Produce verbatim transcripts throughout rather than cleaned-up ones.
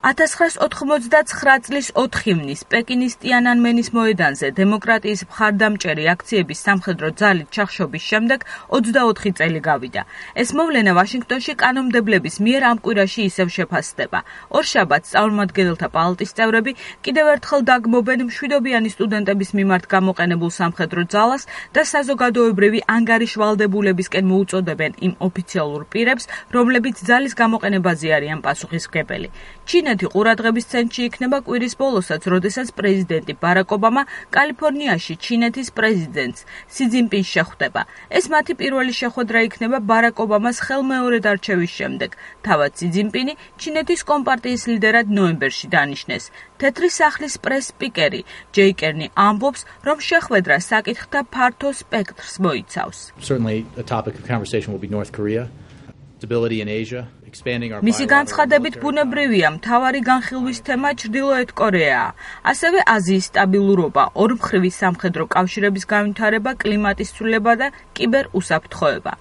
ათას ცხრაასი ოთხმოცდაცხრა წლის ოთხ ივნის პეკინის ტიანანმენის მოედანზე დემოკრატიის მხარდამჭერი აქციების სამხედრო ძალით ჩახშობის შემდეგ ოცდაოთხი წელი გავიდა. ეს მოვლენა ვაშინგტონში კანონმდებლების მიერ ამ კვირაში ისევ შეფასდება. ორშაბათს წარმომადგენელთა პალატის წევრები კიდევ ერთხელ დაგმობენ მშვიდობიანი სტუდენტების მიმართ გამოყენებულ სამხედრო ძალას და საზოგადოებრივი ანგარიშვალდებულებისკენ მოუწოდებენ იმ ოფიციალურ პირებს, რომლებიც ძალის გამოყენებაზე არიან პასუხისმგებელი. ჩინეთი ყურადღების ცენტრში იქნება კვირის ბოლოსაც, როდესაც პრეზიდენტი ბარაკ ობამა კალიფორნიაში ჩინეთის პრეზიდენტს სი ძინპინს შეხვდება. ეს მათი პირველი შეხვედრა იქნება ბარაკ ობამას ხელმეორედ არჩევის შემდეგ. თავად სი ძინპინი ჩინეთის კომპარტიის ლიდერად ნოემბერში დანიშნეს. თეთრი სახლის პრეს-სპიკერი ჯეი კერნი ამბობს, რომ შეხვედრა საკითხთა ფართო სპექტრს მოიცავს. Certainly a topic of conversation will be North Korea, stability in Asia. მისი განცხადებით ბუნებრივია, მთავარი განხილვის თემა ჩრდილოეთ კორეაა. ასევე აზიის სტაბილურობა, ორმხრივი სამხედრო კავშირების განვითარება, კლიმატის ცვლილება და კიბერუსაფრთხოება.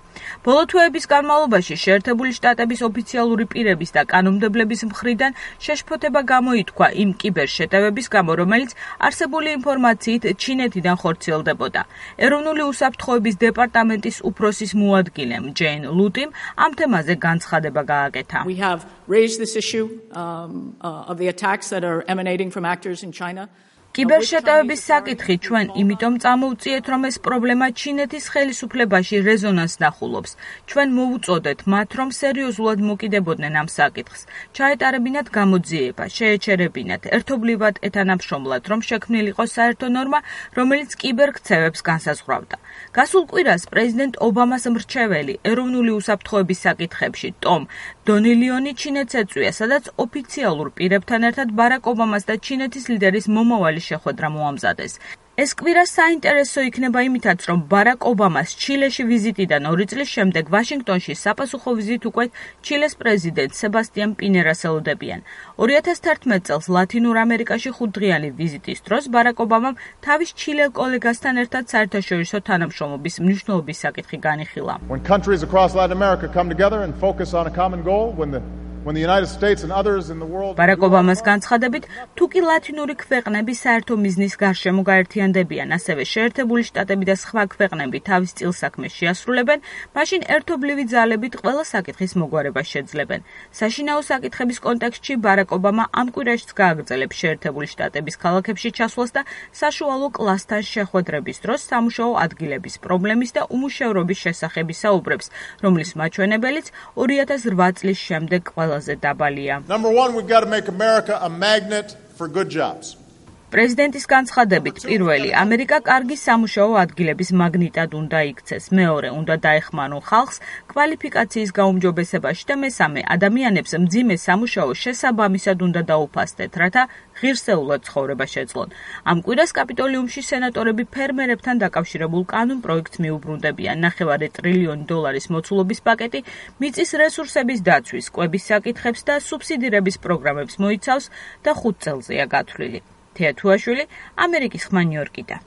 ბოლო თვეების განმავლობაში შეერთებული შტატების ოფიციალური პირების და კანონმდებლების მხრიდან შეშფოთება გამოითქვა იმ კიბერშეტევების გამო, რომელიც არსებული ინფორმაციით ჩინეთიდან ხორციელდებოდა. ეროვნული უსაფრთხოების დეპარტამენტის უფროსის მოადგილემ ჯეინ ლუტიმ ამ თემაზე განცხადება გააკეთა. We have raised this issue um, uh, of the attacks that are emanating from actors in China. კიბერშეტევების საკითხი ჩვენ იმიტომ წამოვწიეთ, რომ ეს პრობლემა ჩინეთის ხელისუფლებაში რეზონანსს ნახულობს. ჩვენ მოუწოდეთ მათ, რომ სერიოზულად მოკიდებოდნენ ამ საკითხს, ჩაეტარებინათ გამოძიება, შეეჩერებინათ, ერთობლივად ეთანამშრომლად, რომ შექმნილიყო საერთო ნორმა, რომელიც კიბერქცევებს განსაზღვრავდა. გასულ კვირას პრეზიდენტ ობამას მრჩეველი ეროვნული უსაფრთხოების საკითხებში ტომ დონილიონი ჩინეთს ეწვია, სადაც ოფიციალურ პირებთან ერთად ბარაკ ობამას და ჩინეთის ლიდერის მომავალი შეხვედრა მოამზადეს. ეს კვირა საინტერესო იქნება იმითაც, რომ ბარაკ ობამას ჩილეში ვიზიტიდან ორი წლის შემდეგ ვაშინგტონში საპასუხო ვიზით უკვე ჩილეს პრეზიდენტ სებასტიან პინერას ელოდებიან. ორი ათას თერთმეტ წელს ლათინურ ამერიკაში ხუთდღიანი ვიზიტის დროს ბარაკ ობამამ თავის ჩილელ კოლეგასთან ერთად საერთაშორისო თანამშრომლობის მნიშვნელობის საკითხი განიხილა. When countries across Latin America come together and focus on a common goal, when the When the United States and others in the world ბარაკ ობამას განცხადებით, თუ კი ლათინური ქვეყნები საერთო მიზნის გარშემო გაერთიანდებიან, ასევე შეერთებული შტატები და სხვა ქვეყნები თავის წილსაქმეს შეასრულებენ, მაშინ ერთობლივი ძალებით ყველა საკითხის მოგვარებას შეძლებენ. საშინაო საკითხების კონტექსტში ბარაკ ობამა ამ კვირაშიც გააგრძელებს შეერთებული შტატების ქალაქებში ჩასვლას და საშუალო კლასთან შეხვედრების დროს სამუშაო ადგილების პრობლემის და უმუშევრობის შესახებ ისაუბრებს, რომლის მაჩვენებელიც ორი ათას რვა წლის შემდეგ ყველაზე დაბალია. Number one, we've got to make America a magnet for good jobs. პრეზიდენტის განცხადებით, პირველი, ამერიკა კარგი სამუშაო ადგილების მაგნიტად უნდა იქცეს. მეორე, უნდა დაეხმარონ ხალხს კვალიფიკაციის გაუმჯობესებაში და მესამე, ადამიანებს მძიმე სამუშაო შესაბამისად უნდა დაუფასდეთ, რათა ღირსეულად ცხოვრება შეძლონ. ამ კვირას კაპიტოლიუმში სენატორები ფერმერებთან დაკავშირებულ კანონ პროექტს მიუბრუნდებიან. ნახევარი ტრილიონი დოლარის მოცულობის პაკეტი მიწის რესურსების დაცვის, კვების საკითხებს და სუბსიდირების პროგრამებს მოიცავს და ხუთ წელზეა გათვლილი. თეა თუაშვილი, ამერიკის ხმა ნიუ-იორკიდან.